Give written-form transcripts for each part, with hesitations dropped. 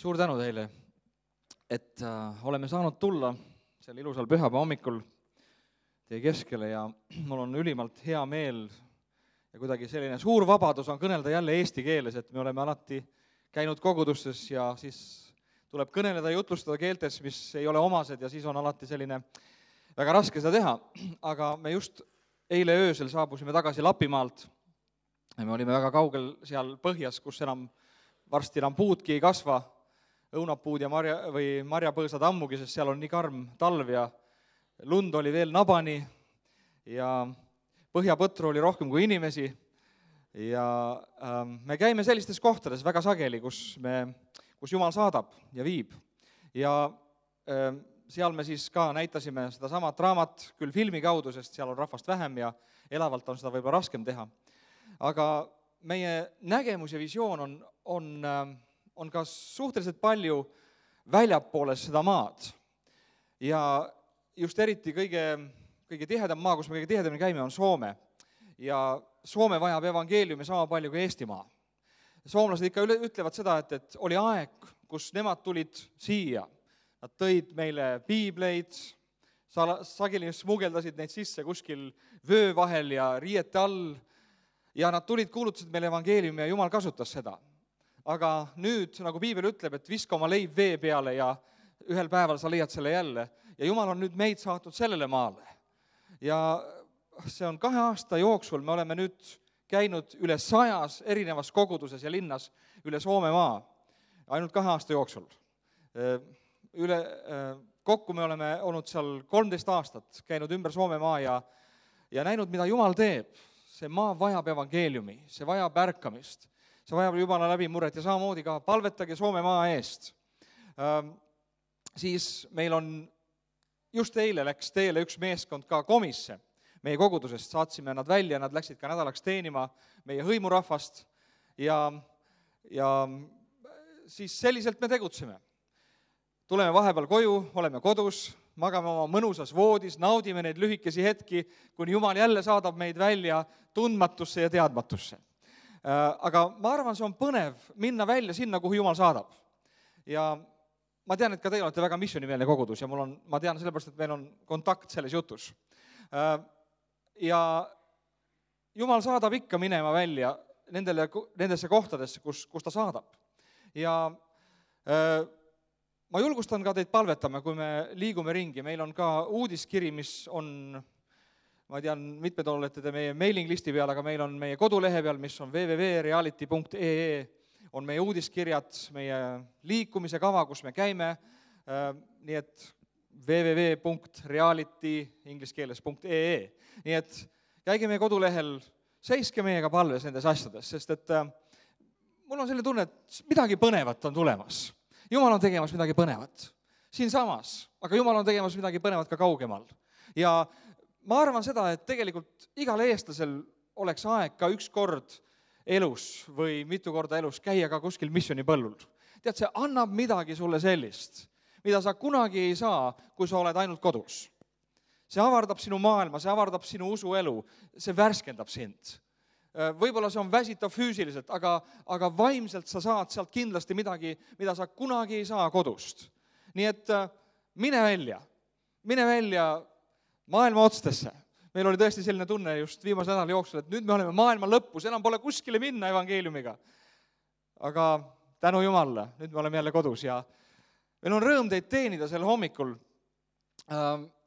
Suur tänu teile, et oleme saanud tulla sel ilusal pühapäeva hommikul teie keskele ja mul on ülimalt hea meel ja kuidagi selline suur vabadus on kõnelda jälle eesti keeles, et me oleme alati käinud kogudustes ja siis tuleb kõneleda ja jutlustada keeltes, mis ei ole omased ja siis on alati selline väga raske seda teha, aga me just eile öösel saabusime tagasi Lapimaalt ja me olime väga kaugel seal põhjas, kus varsti enam puudki ei kasva, õunapuud ja marjapõõsad ammugi, sest seal on nii karm talv ja lund oli veel nabani ja põhjapõtru oli rohkem kui inimesi ja me käime sellistes kohtades väga sageli, kus Jumal saadab ja viib. Ja seal me siis ka näitasime seda samat raamat küll filmi kaudu, sest seal on rahvast vähem ja elavalt on seda võib-olla raskem teha. Aga meie nägemus ja visioon on ka suhteliselt palju väljapoole seda maad. Ja just eriti kõige tihedam maa, kus me kõige tihedamini käime, on Soome. Ja Soome vajab evangeeliumi sama palju kui Eestimaa. Soomlased ikka ütlevad seda, et oli aeg, kus nemad tulid siia. Nad tõid meile piibleid, sageli smugeldasid neid sisse kuskil vöö vahel ja riiete all. Ja nad tulid, kuulutasid meile evangeeliumi ja Jumal kasutas seda. Aga nüüd, nagu piibel ütleb, et viska oma leib vee peale ja ühel päeval sa leiad selle jälle. Ja Jumal on nüüd meid saatnud sellele maale. Ja see on 2 aasta jooksul, me oleme nüüd käinud üle 100 erinevas koguduses ja linnas üle Soome maa. Ainult 2 aasta jooksul. Kokku me oleme olnud seal 13 aastat, käinud ümber Soome maa ja näinud, mida Jumal teeb. See maa vajab evangeeliumi, see vajab ärkamist. See vajab Jumala läbimurret ja samamoodi ka palvetage Soome maa eest. Siis meil on, just eile läks teele üks meeskond ka komisse meie kogudusest, saatsime nad välja, nad läksid ka nädalaks teenima meie hõimurahvast ja siis selliselt me tegutseme. Tuleme vahepeal koju, oleme kodus, magame oma mõnusas voodis, naudime neid lühikesi hetki, kuni Jumal jälle saadab meid välja tundmatusse ja teadmatusse. Aga ma arvan, see on põnev minna välja sinna, kuhu Jumal saadab. Ja ma tean, et ka teil olete väga missionimeelne kogudus ja ma tean sellepärast, et meil on kontakt selles jutus. Ja Jumal saadab ikka minema välja nendesse kohtadesse, kus ta saadab. Ja ma julgustan ka teid palvetama, kui me liigume ringi. Meil on ka uudiskiri, mis on... Ma tean, mitmed olete te meie mailing listi peal, aga meil on meie kodulehe peal, mis on www.reality.ee, on meie uudiskirjad, meie liikumise kava, kus me käime, nii et www.reality ingliskeeles.ee. Nii et käige meie kodulehel, seiske meiega palves nendes asjades, sest et mul on selle tunne, et midagi põnevat on tulemas. Jumal on tegemas midagi põnevat siinsamas, aga Jumal on tegemas midagi põnevat ka kaugemal. Ja ma arvan seda, et tegelikult igal eestlasel oleks aeg ka üks kord elus või mitu korda elus käia ka kuskil missionipõllul. Tead, see annab midagi sulle sellist, mida sa kunagi ei saa, kui sa oled ainult kodus. See avardab sinu maailma, see avardab sinu usuelu, see värskendab sind. Võib-olla see on väsitav füüsiliselt, aga vaimselt sa saad sealt kindlasti midagi, mida sa kunagi ei saa kodust. Nii et mine välja maailma otstesse. Meil oli tõesti selline tunne just viimase nädala jooksul, et nüüd me oleme maailma lõpus, enam pole kuskile minna evangeeliumiga. Aga tänu Jumalale, nüüd me oleme jälle kodus ja meil on rõõm teid teenida sel hommikul.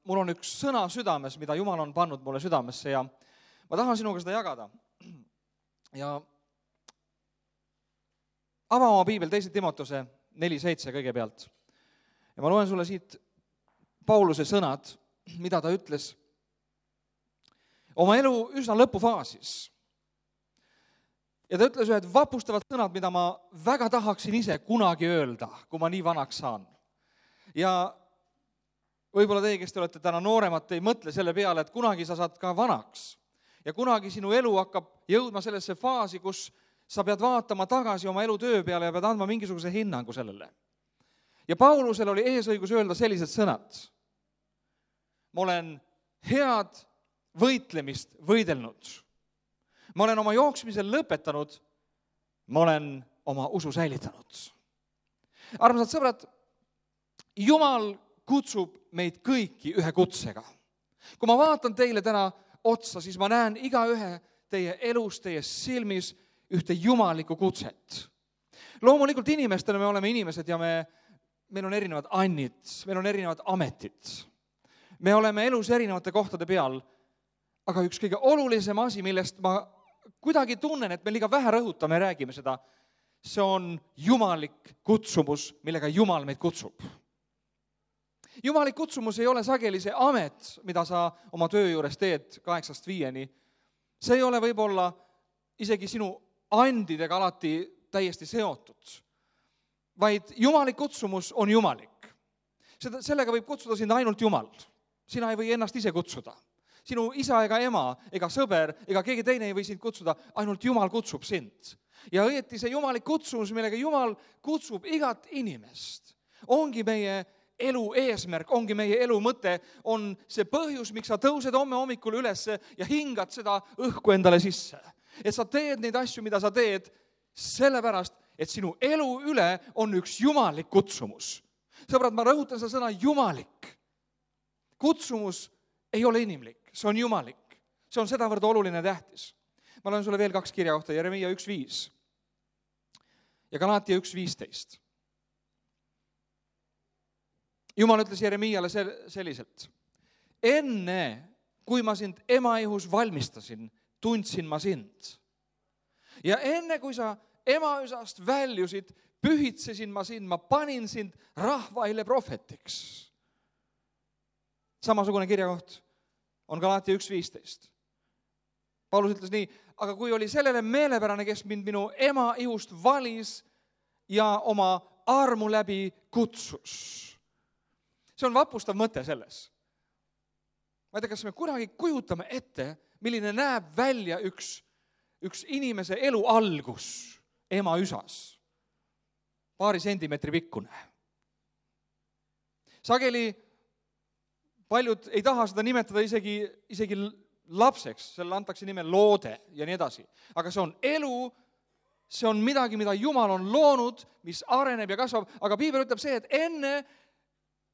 Mul on üks sõna südames, mida Jumal on pannud mulle südamesse ja ma tahan sinuga seda jagada. Ja ava oma piibel 2. Timotuse 4:7 kõigepealt. Ja ma loen sulle siit Pauluse sõnad, mida ta ütles oma elu üsna lõpufaasis. Ja ta ütles ühed vapustavad sõnad, mida ma väga tahaksin ise kunagi öelda, kui ma nii vanaks saan. Ja võib-olla teie, kes te olete täna nooremad, ei mõtle selle peale, et kunagi sa saad ka vanaks. Ja kunagi sinu elu hakkab jõudma sellesse faasi, kus sa pead vaatama tagasi oma elu töö peale ja pead andma mingisuguse hinnangu sellele. Ja Paulusel oli eesõigus öelda sellised sõnad. Ma olen head võitlemist võidelnud. Ma olen oma jooksmisel lõpetanud. Ma olen oma usu säilitanud. Armsad sõbrad, Jumal kutsub meid kõiki ühe kutsega. Kui ma vaatan teile täna otsa, siis ma näen igaühe teie elus, teie silmis ühte jumalikku kutset. Loomulikult inimestena me oleme inimesed ja meil on erinevad annid, meil on erinevad ametid. Me oleme elus erinevate kohtade peal, aga üks kõige olulisem asi, millest ma kuidagi tunnen, et me liiga vähe rõhutame ja räägime seda, see on jumalik kutsumus, millega Jumal meid kutsub. Jumalik kutsumus ei ole sageli see amet, mida sa oma töö juures teed 8–5. See ei ole võib-olla isegi sinu andidega alati täiesti seotud, vaid jumalik kutsumus on jumalik. Sellega võib kutsuda sind ainult Jumal. Sina ei või ennast ise kutsuda. Sinu isa ega ema ega sõber ega keegi teine ei või sind kutsuda, ainult Jumal kutsub sind. Ja õieti see jumalik kutsumus, millega Jumal kutsub igat inimest, ongi meie elu eesmärk, ongi meie elu mõte, on see põhjus, miks sa tõused homme hommikul üles ja hingad seda õhku endale sisse. Et sa teed neid asju, mida sa teed, sellepärast, et sinu elu üle on üks jumalik kutsumus. Sõbrad, ma rõhutan seda sõna jumalik. Kutsumus ei ole inimlik, see on jumalik. See on sedavõrd oluline tähtis. Ma loen sulle veel 2 kirja kohta, Jeremiia 1:5 ja Galatia 1:15. Jumal ütles Jeremiiale selliselt. Enne, kui ma sind emaihus valmistasin, tundsin ma sind. Ja enne, kui sa emaüsast väljusid, pühitsesin ma sind, ma panin sind rahvaile prohvetiks. Samasugune kirjakoht on Galatia 1:15. Paulus ütles nii, aga kui oli sellele meelepärane, kes mind minu ema ihust valis ja oma armu läbi kutsus. See on vapustav mõte selles. Ma ei tea, kas me kunagi kujutame ette, milline näeb välja üks inimese elu algus ema üsas. Paari sentimeetri pikkune. Sageli paljud ei taha seda nimetada isegi lapseks, selle antakse nime loode ja nii edasi. Aga see on elu, see on midagi, mida Jumal on loonud, mis areneb ja kasvab, aga piibel ütleb see, et enne,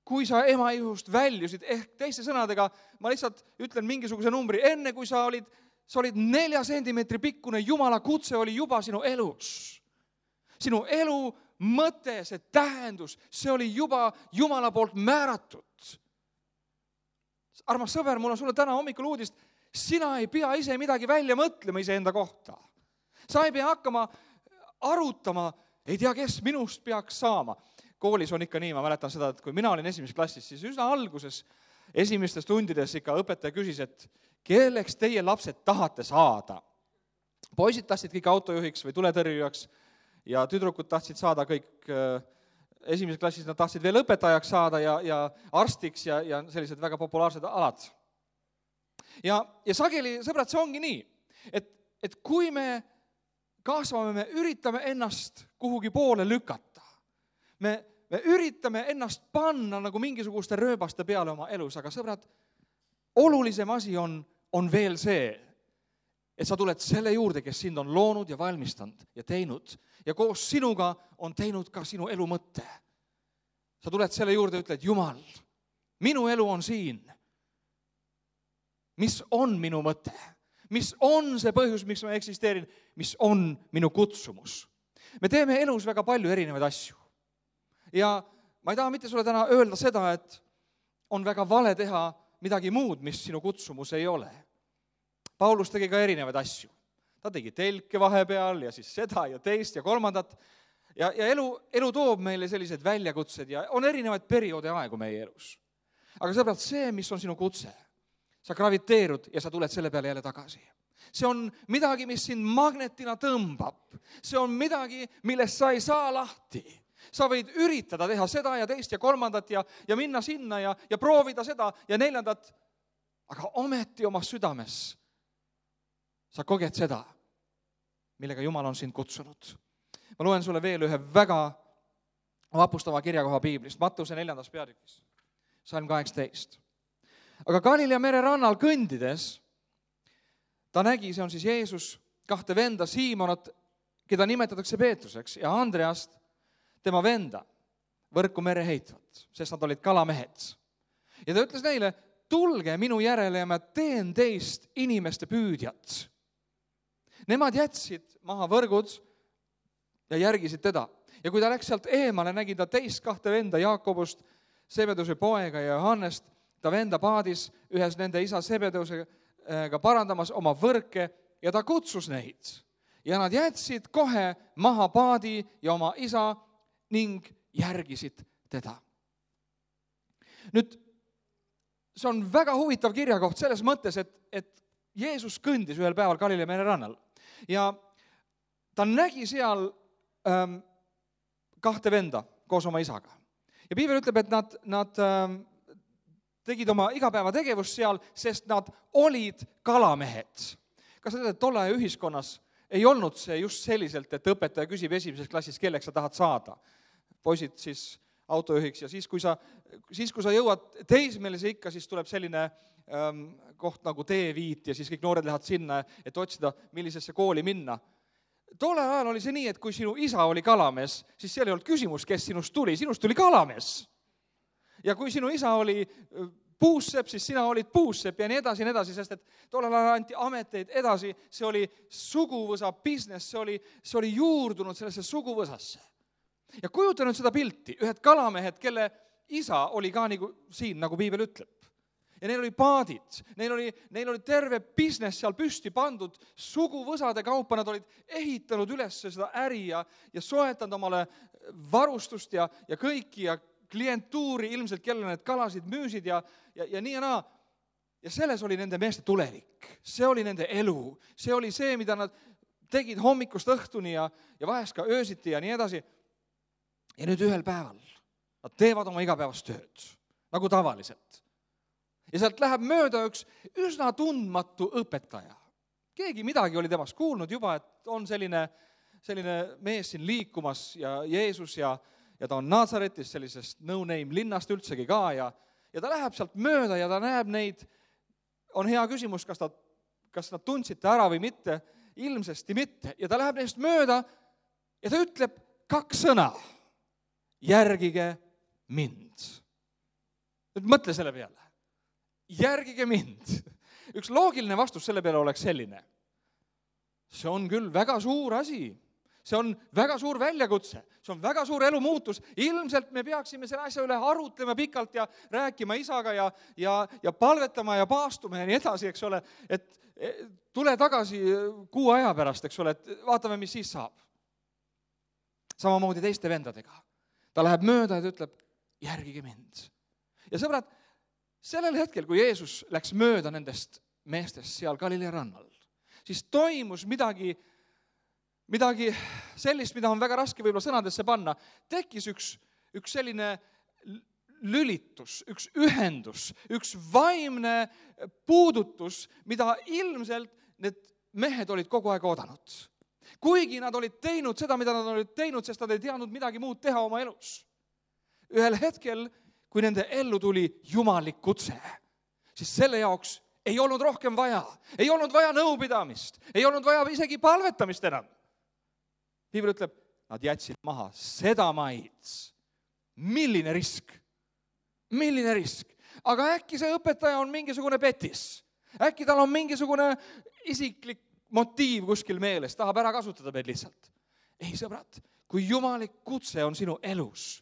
kui sa ema ihust väljusid, ehk teiste sõnadega, ma lihtsalt ütlen mingisuguse numbri, enne kui sa olid 4 sentimeetri pikkune, Jumala kutse oli juba sinu elus. Sinu elu mõte, see tähendus, see oli juba Jumala poolt määratud. Armas sõber, mul on sulle täna hommikul uudist, sina ei pea ise midagi välja mõtlema iseenda kohta. Sa ei pea hakkama arutama, ei tea, kes minust peaks saama. Koolis on ikka nii, ma mäletan seda, et kui mina olin esimeses klassis, siis üsna alguses, esimestes tundides ikka õpetaja küsis, et kelleks teie lapsed tahate saada. Poisid tahtsid kõik autojuhiks või tuletõrjujaks ja tüdrukud tahtsid saada kõik esimeses klassis, nad tahtsid veel õpetajaks saada ja arstiks ja sellised väga populaarsed alad. Ja sageli, sõbrad, see ongi nii, et kui me kasvame, me üritame ennast kuhugi poole lükata. Me üritame ennast panna nagu mingisuguste rööbaste peale oma elus, aga sõbrad, olulisem asi on veel see, et sa tuled selle juurde, kes sind on loonud ja valmistanud ja teinud ja koos sinuga on teinud ka sinu elu mõtte. Sa tuled selle juurde ja ütled, Jumal, minu elu on siin. Mis on minu mõte? Mis on see põhjus, miks ma eksisteerin? Mis on minu kutsumus? Me teeme elus väga palju erinevaid asju. Ja ma ei taha mitte sulle täna öelda seda, et on väga vale teha midagi muud, mis sinu kutsumus ei ole. Paulus tegi ka erinevaid asju. Ta tegi telke vahepeal ja siis seda ja teist ja kolmandat. Ja elu toob meile sellised väljakutsed ja on erinevaid perioode aegu meie elus. Aga sõbrad, see, mis on sinu kutse, sa graviteerud ja sa tuled selle peale jälle tagasi. See on midagi, mis sind magnetina tõmbab. See on midagi, millest sa ei saa lahti. Sa võid üritada teha seda ja teist ja kolmandat ja minna sinna ja proovida seda ja 4, aga ometi oma südames sa koged seda, millega Jumal on sind kutsunud. Ma loen sulle veel ühe väga vapustava kirjakoha piiblist, Mattuse 4. peatükis, Salm 18. Aga Galilea mere rannal kõndides ta nägi, see on siis Jeesus, 2 venda, Siimonat, keda nimetatakse Peetruseks, ja Andreast, tema venda. võrku mere heitvat, sest nad olid kalamehed. Ja ta ütles neile, tulge minu järele ja ma teen teist inimeste püüdjat. Nemad jätsid maha võrgud ja järgisid teda. Ja kui ta läks sealt eemale, nägi ta teist kahte venda, Jaakobust, Sebedeuse poega ja Johannest, ta venda paadis ühes nende isa Sebedeusega parandamas oma võrke ja ta kutsus neid. Ja nad jätsid kohe maha paadi ja oma isa ning järgisid teda. Nüüd, see on väga huvitav kirjakoht selles mõttes, et Jeesus kõndis ühel päeval Galilea mere rannal ja ta nägi seal kahte venda koos oma isaga. Ja piibel ütleb, et nad tegid oma igapäevategevust seal, sest nad olid kalamehed. Kas sa tead, et tolle aja ühiskonnas ei olnud see just selliselt, et õpetaja küsib esimeses klassis, kelleks sa tahad saada? Poisid siis autojuhiks ja siis, kui sa jõuad teismelise ikka, siis tuleb selline koht nagu T5 ja siis kõik noored lähevad sinna, et otsida, millisesse kooli minna. Tollel ajal oli see nii, et kui sinu isa oli kalamees, siis seal ei olnud küsimus, kes sinust tuli kalamees. Ja kui sinu isa oli puussepp, siis sina olid puussepp ja nii edasi, sest et tollel ajal anti ameteid edasi, see oli suguvõsa business, see oli juurdunud sellesse suguvõsasse. Ja kujuta nüüd seda pilti, ühed kalamehed, kelle isa oli ka siin, nagu piibel ütleb. Ja neil oli paadid, neil oli terve business seal püsti pandud, suguvõsade kaupa, nad olid ehitanud üles seda äri ja soetanud omale varustust ja kõiki ja klientuuri ilmselt, kelle need kalasid müüsid ja nii ja naa. Ja selles oli nende meeste tulevik, see oli nende elu, see oli see, mida nad tegid hommikust õhtuni ja vahest ka öösiti ja nii edasi. Ja nüüd ühel päeval nad teevad oma igapäevast tööd, nagu tavaliselt. Ja sealt läheb mööda üks üsna tundmatu õpetaja. Keegi midagi oli temast kuulnud juba, et on selline mees siin liikumas ja Jeesus ja ta on Nazaretis sellisest no-name linnast üldsegi ka ja ta läheb sealt mööda ja ta näeb neid. On hea küsimus, kas nad tundsid ta ära või mitte, ilmsesti mitte. Ja ta läheb neist mööda ja ta ütleb 2 sõna. Järgige mind. Nüüd mõtle selle peale. Järgige mind. Üks loogiline vastus selle peale oleks selline. See on küll väga suur asi. See on väga suur väljakutse. See on väga suur elumuutus. Ilmselt me peaksime selle asja üle arutlema pikalt ja rääkima isaga ja palvetama ja paastuma ja nii edasi, eks ole. Et tule tagasi 6 aja pärast, eks ole, et vaatame, mis siis saab. Samamoodi teiste vendadega. Ta läheb mööda ja ta ütleb, järgige mind. Ja sõbrad, sellel hetkel, kui Jeesus läks mööda nendest meestest seal Galilea rannal, siis toimus midagi sellist, mida on väga raske võib-olla sõnadesse panna. Tekkis üks selline lülitus, üks ühendus, üks vaimne puudutus, mida ilmselt need mehed olid kogu aeg oodanud. Kuigi nad olid teinud seda, mida nad olid teinud, sest nad ei teadnud midagi muud teha oma elus. Ühel hetkel, kui nende ellu tuli jumalik kutse, siis selle jaoks ei olnud rohkem vaja. Ei olnud vaja nõupidamist, ei olnud vaja isegi palvetamist enam. Piibel ütleb, nad jätsid maha seda maid. Milline risk? Milline risk? Aga äkki see õpetaja on mingisugune petis. Äkki tal on mingisugune isiklik motiiv kuskil meeles, tahab ära kasutada meid lihtsalt. Ei, sõbrad, kui jumalik kutse on sinu elus,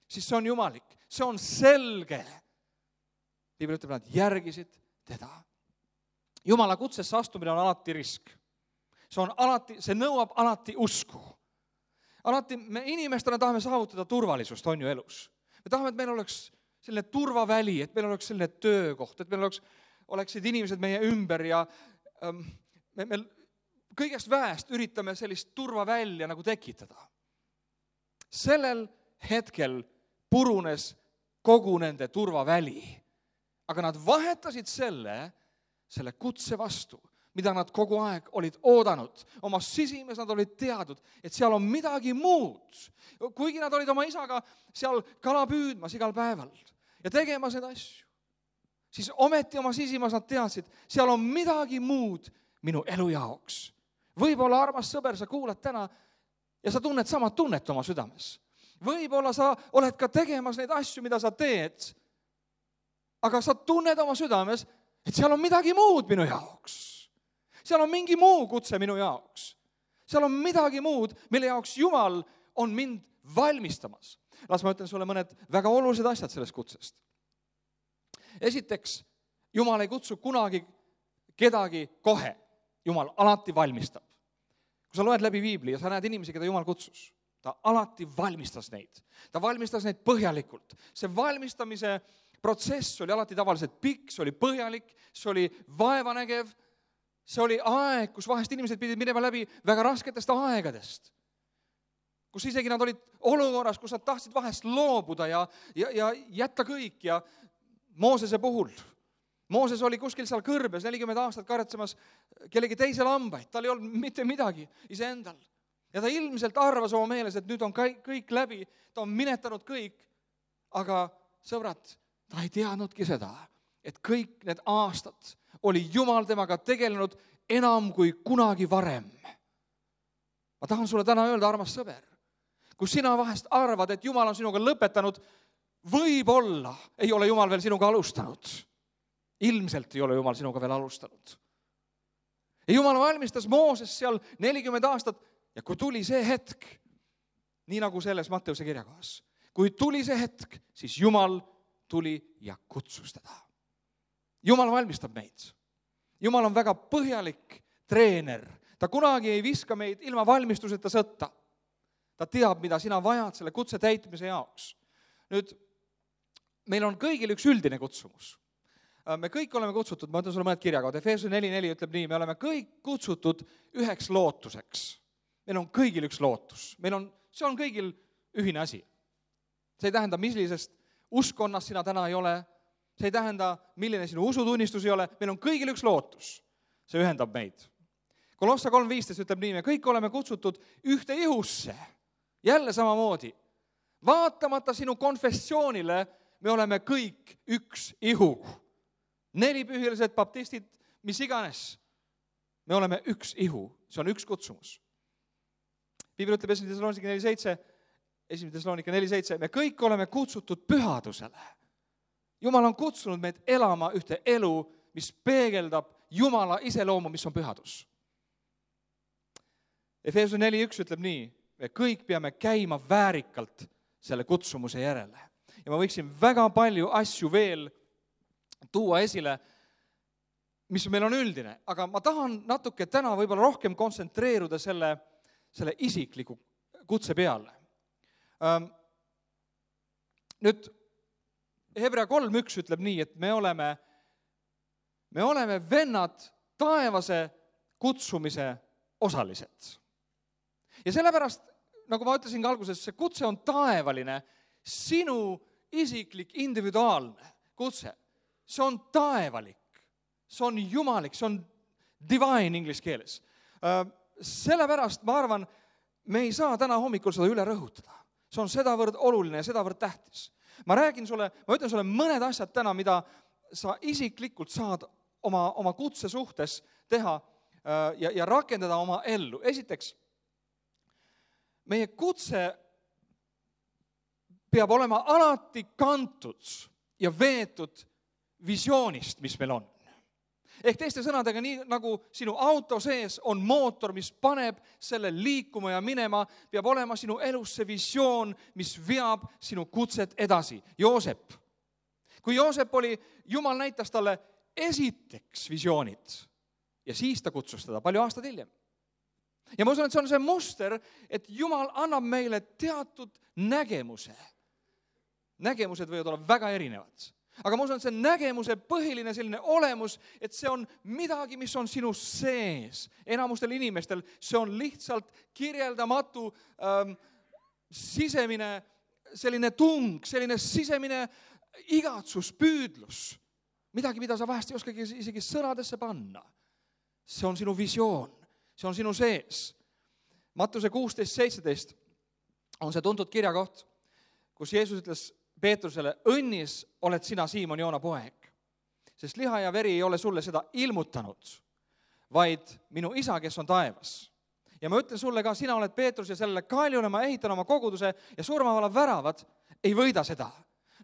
siis see on jumalik, see on selge. Piibel ütleb, nad järgisid teda. Jumala kutsesse astumine on alati risk. See nõuab alati usku. Alati me inimestena tahame saavutada turvalisust, on ju elus. Me tahame, et meil oleks selline turvaväli, et meil oleks selline töökoht, et meil oleksid inimesed meie ümber ja me kõigest väest üritame sellist turvavälja nagu tekitada. Sellel hetkel purunes kogu nende turvaväli, aga nad vahetasid selle kutse vastu, mida nad kogu aeg olid oodanud. Oma sisimes nad olid teadnud, et seal on midagi muud. Kuigi nad olid oma isaga seal kala püüdmas igal päeval ja tegema seda asju, siis ometi oma sisimas nad teadsid, seal on midagi muud minu elu jaoks. Võib-olla, armas sõber, sa kuulad täna ja sa tunned sama tunnet oma südames. Võib-olla sa oled ka tegemas neid asju, mida sa teed, aga sa tunned oma südames, et seal on midagi muud minu jaoks. Seal on mingi muu kutse minu jaoks. Seal on midagi muud, mille jaoks Jumal on mind valmistamas. Las ma ütlen sulle mõned väga olulised asjad sellest kutsest. Esiteks, Jumal ei kutsu kunagi kedagi kohe. Jumal alati valmistab. Kui sa loed läbi Piibli ja sa näed inimesi, keda Jumal kutsus, ta alati valmistas neid. Ta valmistas neid põhjalikult. See valmistamise protsess oli alati tavaliselt pikk, see oli põhjalik, see oli vaevanägev, see oli aeg, kus vahest inimesed pidid minema läbi väga rasketest aegadest. Kus isegi nad olid olukorras, kus nad tahtsid vahest loobuda ja jätta kõik ja Moosese puhul. Mooses oli kuskil seal kõrbes 40 aastat karetsemas kellegi teise lambaid. Tal ei olnud mitte midagi iseendal. Ja ta ilmselt arvas oma meeles, et nüüd on kõik läbi, ta on minetanud kõik. Aga sõbrad, ta ei teadnudki seda, et kõik need aastad oli Jumal temaga tegelenud enam kui kunagi varem. Ma tahan sulle täna öelda, armas sõber, kui sina vahest arvad, et Jumal on sinuga lõpetanud, võib-olla ei ole Jumal veel sinuga alustanud. Ilmselt ei ole Jumal sinuga veel alustanud. Ja Jumal valmistas Mooses seal 40 aastat ja kui tuli see hetk, nii nagu selles Matteuse kirjakohas, kui tuli see hetk, siis Jumal tuli ja kutsus teda. Jumal valmistab meid. Jumal on väga põhjalik treener. Ta kunagi ei viska meid ilma valmistuseta sõtta. Ta teab, mida sina vajad selle kutse täitmise jaoks. Nüüd, meil on kõigil üks üldine kutsumus. Me kõik oleme kutsutud, ma ütlen sulle mõned kirjakohad. Efeesuse 4.4 ütleb nii, me oleme kõik kutsutud üheks lootuseks. Meil on kõigil üks lootus. See on kõigil ühine asi. See ei tähenda, millisest uskonnast sina täna ei ole. See ei tähenda, milline sinu usutunnistus ei ole. Meil on kõigil üks lootus. See ühendab meid. Kolossa 3.15 ütleb nii, me kõik oleme kutsutud ühte ihusse. Jälle samamoodi. Vaatamata sinu konfessioonile, me oleme kõik üks ihu. Nelipühilised baptistid, mis iganes. Me oleme üks ihu. See on üks kutsumus. Piibel ütleb 1. Thessalonike 4.7, me kõik oleme kutsutud pühadusele. Jumal on kutsunud meid elama ühte elu, mis peegeldab Jumala iseloomu, mis on pühadus. Efeesuse 4.1 ütleb nii, me kõik peame käima väärikalt selle kutsumuse järele. Ja ma võiksin väga palju asju veel tuua esile, mis meil on üldine, aga ma tahan natuke täna võib-olla rohkem kontsentreeruda selle isikliku kutse peale. Nüüd Hebra 3.1 ütleb nii, et me oleme vennad taevase kutsumise osalised. Ja sellepärast, nagu ma ütlesin ka alguses, see kutse on taevaline, sinu isiklik, individuaalne kutse. See on taevalik, see on jumalik, see on divine inglise keeles. Sellepärast ma arvan, me ei saa täna hommikul seda üle rõhutada. See on sedavõrd oluline ja sedavõrd tähtis. Ma ütlen sulle mõned asjad täna, mida sa isiklikult saad oma kutse suhtes teha ja rakendada oma ellu. Esiteks, meie kutse peab olema alati kantud ja veetud visioonist, mis meil on. Ehk teiste sõnadega, nii nagu sinu auto sees on mootor, mis paneb selle liikuma ja minema, peab olema sinu elus see visioon, mis veab sinu kutset edasi. Joosep. Kui Joosep oli, Jumal näitas talle esiteks visioonid ja siis ta kutsus teda palju aastad hiljem. Ja ma usun, et see on see muster, et Jumal annab meile teatud nägemuse. Nägemused võivad olla väga erinevad. Aga ma usun, et see nägemuse põhiline selline olemus, et see on midagi, mis on sinu sees. Enamustel inimestel see on lihtsalt kirjeldamatu sisemine selline tung, selline sisemine igatsus, püüdlus. Midagi, mida sa vahest ei oskagi isegi sõnadesse panna. See on sinu visioon, see on sinu sees. Mattuse 16.17 on see tuntud kirjakoht, kus Jeesus ütles Peetrusele, õnnis oled sina, Siimon, Joona poeg, sest liha ja veri ei ole sulle seda ilmutanud, vaid minu isa, kes on taevas. Ja ma ütlen sulle ka, sina oled Peetrus ja sellele kaljule ma ehitan oma koguduse ja surmavala väravad ei võida seda.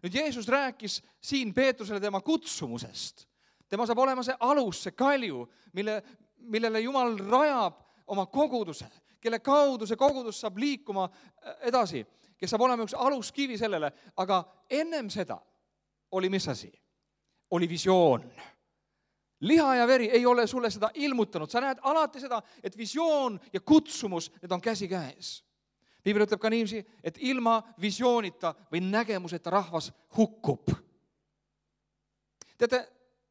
Nüüd Jeesus rääkis siin Peetrusele tema kutsumusest. Tema saab olema see alus, see kalju, millele Jumal rajab oma koguduse, kelle kaudu see kogudus saab liikuma edasi, kes saab olema üks aluskivi sellele, aga ennem seda oli mis asi? Oli visioon. Liha ja veri ei ole sulle seda ilmutanud. Sa näed alati seda, et visioon ja kutsumus, need on käsi käes. Piibel ütleb ka niiviisi, et ilma visioonita või nägemuseta rahvas hukkub. Teate,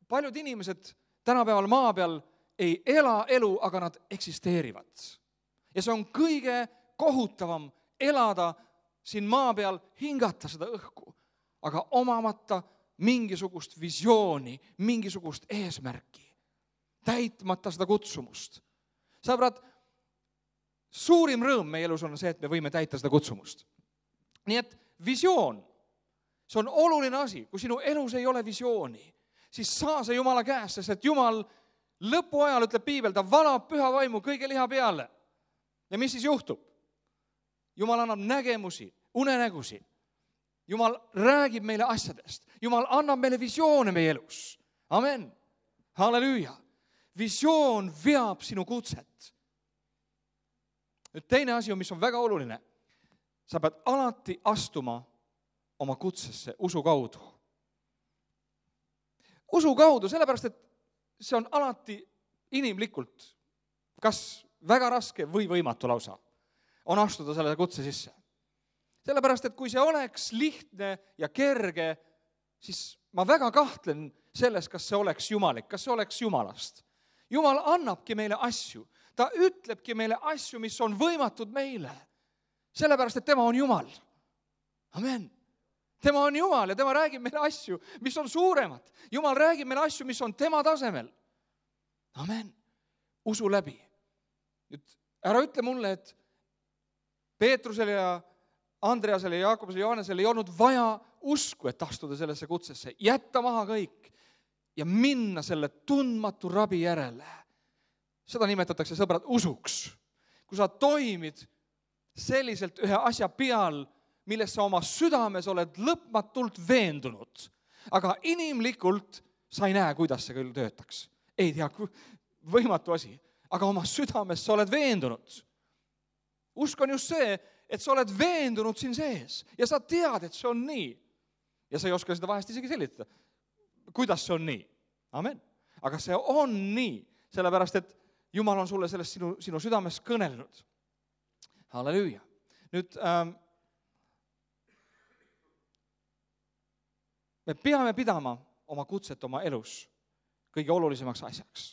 paljud inimesed tänapäeval maa peal ei ela elu, aga nad eksisteerivad. Ja see on kõige kohutavam elada siin maa peal, hingata seda õhku, aga omamata mingisugust visiooni, mingisugust eesmärki, täitmata seda kutsumust. Sõbrad, suurim rõõm meie elus on see, et me võime täita seda kutsumust. Nii et visioon, see on oluline asi. Kui sinu elus ei ole visiooni, siis saa see Jumala käest, sest et Jumal lõpuajal, ütleb Piibel, ta valab püha vaimu kõige liha peale. Ja mis siis juhtub? Jumal annab nägemusi, unenägusi. Jumal räägib meile asjadest. Jumal annab meile visioone meie elus. Amen. Halleluuja. Visioon veab sinu kutset. Nüüd teine asi on, mis on väga oluline. Sa pead alati astuma oma kutsesse usu kaudu. Usu kaudu, sellepärast, et see on alati inimlikult kas väga raske või võimatu lausa on astuda selle kutse sisse. Sellepärast, et kui see oleks lihtne ja kerge, siis ma väga kahtlen selles, kas see oleks jumalik, kas see oleks Jumalast. Jumal annabki meile asju. Ta ütlebki meile asju, mis on võimatud meile. Sellepärast, et tema on Jumal. Amen. Tema on Jumal ja tema räägib meile asju, mis on suuremad. Jumal räägib meile asju, mis on tema tasemel. Amen. Usu läbi. Nüüd, ära ütle mulle, et Peetrusele ja Andreasele, Jaakobusele ja Johannesele ei olnud vaja usku, et astuda sellesse kutsesse, jätta maha kõik ja minna selle tundmatu rabi järele. Seda nimetatakse, sõbrad, usuks. Kui sa toimid selliselt ühe asja peal, milles sa oma südames oled lõpmatult veendunud, aga inimlikult sa ei näe, kuidas see küll töötaks. Ei tea, võimatu asi, aga oma südames sa oled veendunud. Usk on just see, et sa oled veendunud siin sees ja sa tead, et see on nii. Ja sa ei oska seda vahest isegi selitada. Kuidas see on nii? Amen. Aga see on nii, sellepärast, et Jumal on sulle sellest sinu südames kõnelnud. Halleluuja. Nüüd me peame pidama oma kutset oma elus kõige olulisemaks asjaks.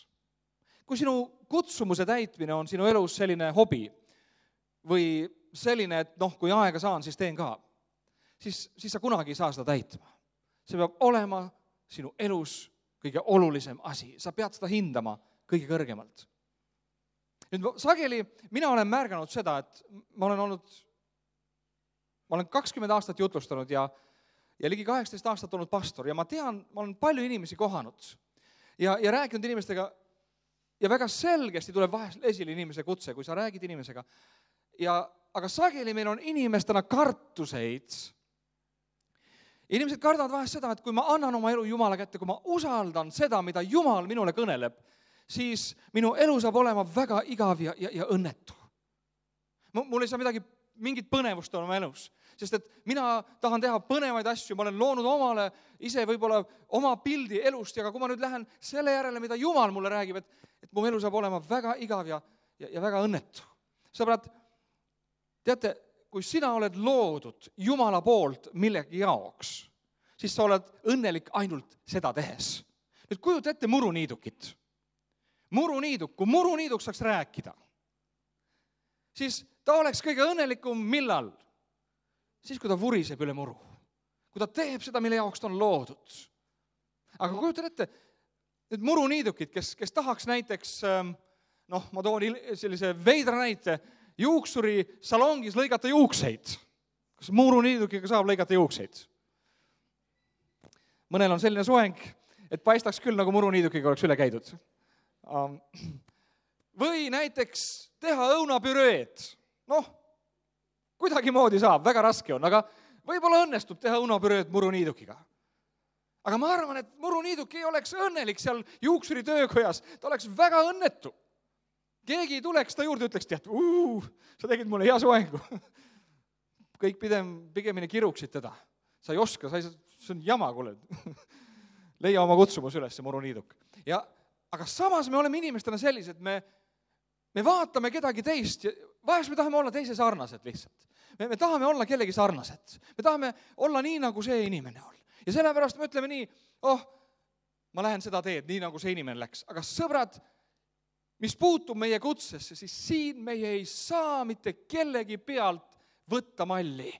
Kui sinu kutsumuse täitmine on sinu elus selline hobi või selline, et kui aega saan, siis teen ka, siis sa kunagi ei saa seda täitma. See peab olema sinu elus kõige olulisem asi. Sa pead seda hindama kõige kõrgemalt. Nüüd sageli mina olen märganud seda, et ma olen 20 aastat jutlustanud ja ligi 18 aastat olnud pastor ja ma tean, ma olen palju inimesi kohanud ja rääkinud inimestega ja väga selgesti tuleb vahest esile inimese kutse, kui sa räägid inimesega. Aga sageli meil on inimestena kartuseid. Inimesed kardavad vahest seda, et kui ma annan oma elu Jumala kätte, kui ma usaldan seda, mida Jumal minule kõneleb, siis minu elu saab olema väga igav ja õnnetu. Mul ei saa mingit põnevust oma elus, sest et mina tahan teha põnevaid asju, ma olen loonud omale ise võib-olla oma pildi elust, aga kui ma nüüd lähen selle järele, mida Jumal mulle räägib, et mu elu saab olema väga igav ja väga õnnetu. Sõbrad, teate, kui sina oled loodud Jumala poolt millegi jaoks, siis sa oled õnnelik ainult seda tehes. Nüüd kujuta ette muruniidukit. Muruniiduk, kui muruniiduk saaks rääkida, siis ta oleks kõige õnnelikum millal? Siis, kui ta vuriseb üle muru. Kui ta teeb seda, mille jaoks ta on loodud. Aga kujuta ette, need muruniidukid, kes tahaks näiteks, ma toon sellise veidra näite, juuksuri salongis lõigata juukseid. Kas muruniidukiga saab lõigata juukseid? Mõnel on selline soeng, et paistaks küll, nagu muruniidukiga oleks üle käidud. või näiteks teha õunapüreed. Kuidagimoodi saab, väga raske on, aga võib-olla õnnestub teha õunapüreed muruniidukiga. Aga ma arvan, et muruniiduk ei oleks õnnelik seal juuksuri töökojas, ta oleks väga õnnetu. Keegi tuleks ta juurde, ütleks, tead, sa tegid mulle hea soengu. Kõik pigemini kiruksid teda. Sa ei oska, see on jama, kuule. Leia oma kutsumus üles, see muruniiduk. Aga samas me oleme inimestena sellised, me vaatame kedagi teist ja vahest me tahame olla teise sarnased lihtsalt. Me tahame olla kellegi sarnased. Me tahame olla nii, nagu see inimene on. Ja sellepärast me ütleme nii, ma lähen seda teed, nii nagu see inimene läks. Aga sõbrad, mis puutub meie kutsesse, siis siin meie ei saa mitte kellegi pealt võtta malli.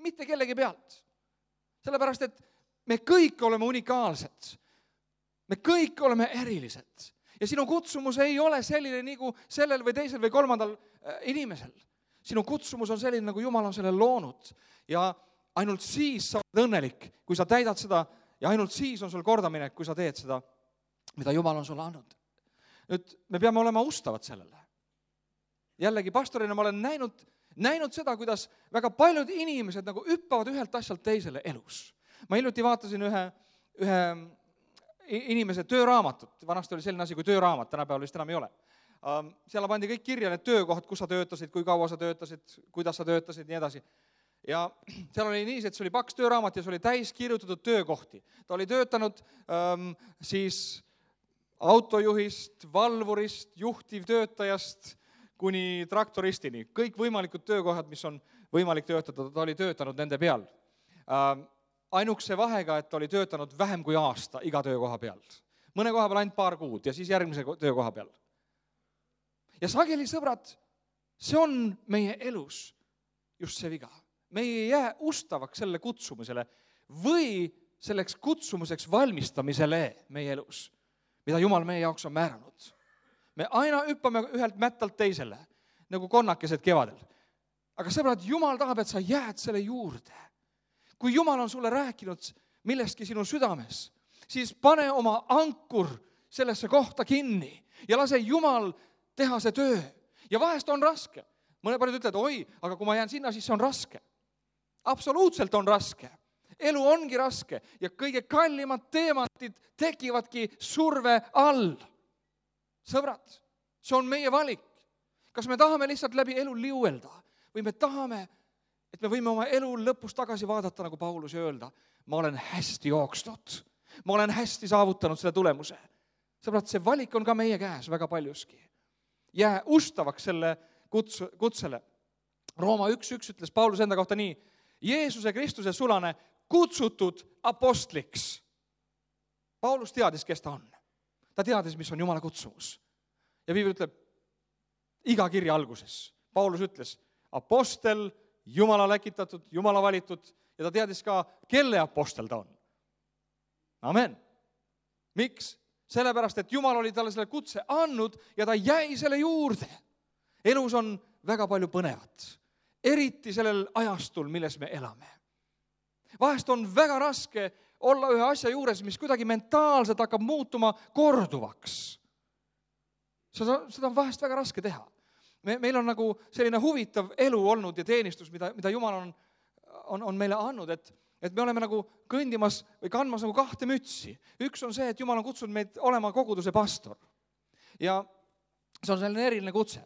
Mitte kellegi pealt. Sellepärast, et me kõik oleme unikaalsed. Me kõik oleme erilised. Ja sinu kutsumus ei ole selline nagu sellel või teisel või kolmandal inimesel. Sinu kutsumus on selline, nagu Jumal on selle loonud. Ja ainult siis sa oled õnnelik, kui sa täidad seda, ja ainult siis on sul kordaminek, kui sa teed seda, mida Jumal on sulle andnud. Nüüd me peame olema ustavad sellele. Jällegi pastorina ma olen näinud seda, kuidas väga paljud inimesed nagu hüppavad ühelt asjalt teisele elus. Ma hiljuti vaatasin ühe inimese tööraamatut. Vanasti oli selline asi kui tööraamat, tänapäeval vist enam ei ole. Seal pandi kõik kirja need töökohad, kus sa töötasid, kui kaua sa töötasid, kuidas sa töötasid, nii edasi. Ja seal oli nii, et see oli paks tööraamat ja see oli täis kirjutatud töökohti. Ta oli töötanud siis autojuhist, valvurist, juhtivtöötajast kuni traktoristini. Kõik võimalikud töökohad, mis on võimalik töötada, ta oli töötanud nende peal. Ainukse vahega, et oli töötanud vähem kui aasta iga töökoha peal. Mõne koha peal ainult paar kuud ja siis järgmise töökoha peal. Ja sageli, sõbrad, see on meie elus just see viga. Me ei jää ustavaks selle kutsumisele või selleks kutsumuseks valmistamisele meie elus, mida Jumal meie jaoks on määranud. Me aina hüppame ühelt mättalt teisele, nagu konnakesed kevadel. Aga sõbrad, Jumal tahab, et sa jääd selle juurde. Kui Jumal on sulle rääkinud millestki sinu südames, siis pane oma ankur sellesse kohta kinni ja lase Jumal teha see töö. Ja vahest on raske. Mõne paljud ütlevad, aga kui ma jään sinna, siis see on raske. Absoluutselt on raske. Elu ongi raske ja kõige kallimad teemantid tekivadki surve all. Sõbrad, see on meie valik. Kas me tahame lihtsalt läbi elu liuelda või me tahame, et me võime oma elu lõpus tagasi vaadata, nagu Paulus öelda, ma olen hästi jooksnud, ma olen hästi saavutanud selle tulemuse. Sõbrad, see valik on ka meie käes väga paljuski. Jää ustavaks selle kutsele. Rooma 1.1 ütles Paulus enda kohta nii, Jeesuse Kristuse sulane kutsutud apostliks. Paulus teadis, kes ta on. Ta teadis, mis on Jumala kutsumus. Ja Piibel ütleb, iga kirja alguses, Paulus ütles, apostel, Jumala läkitatud, Jumala valitud ja ta teadis ka, kelle apostel ta on. Amen. Miks? Sellepärast, et Jumal oli talle selle kutse andnud ja ta jäi selle juurde. Elus on väga palju põnevat, eriti sellel ajastul, milles me elame. Vahest on väga raske olla ühe asja juures, mis kuidagi mentaalselt hakkab muutuma korduvaks. Seda on vahest väga raske teha. Meil on nagu selline huvitav elu olnud ja teenistus, mida Jumal on meile andnud, et me oleme nagu kõndimas või kandmas nagu kahte mütsi. Üks on see, et Jumal on kutsunud meid olema koguduse pastor. Ja see on selline eriline kutse.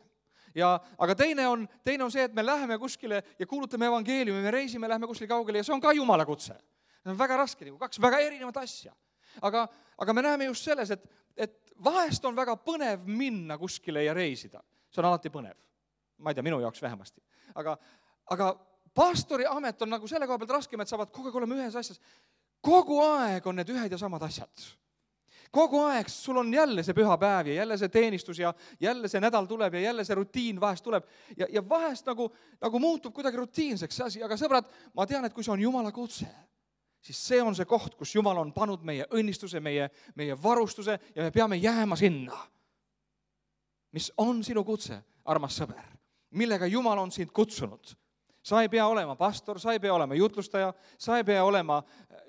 Aga teine on see, et me läheme kuskile ja kuulutame evangeeliumi, me reisime, läheme kuskile kaugele ja see on ka Jumala kutse. See on väga raske, kaks väga erinevat asja. Aga me näeme just selles, et vahest on väga põnev minna kuskile ja reisida. See on alati põnev. Ma ei tea, minu jaoks vähemasti. Aga pastori amet on nagu selle koha pealt raskem, et saavad kogu aeg olema ühes asjas. Kogu aeg on need ühed ja samad asjad. Kogu aeg sul on jälle see püha päev ja jälle see teenistus ja jälle see nädal tuleb ja jälle see rutiin vahest tuleb. Ja vahest nagu muutub kuidagi rutiinseks see asi. Aga sõbrad, ma tean, et kui see on Jumala kutse, siis see on see koht, kus Jumal on pannud meie õnnistuse, meie varustuse ja me peame jääma sinna. Mis on sinu kutse, armas sõber, millega Jumal on sind kutsunud. Sa ei pea olema pastor, sa ei pea olema jutlustaja, sa ei pea olema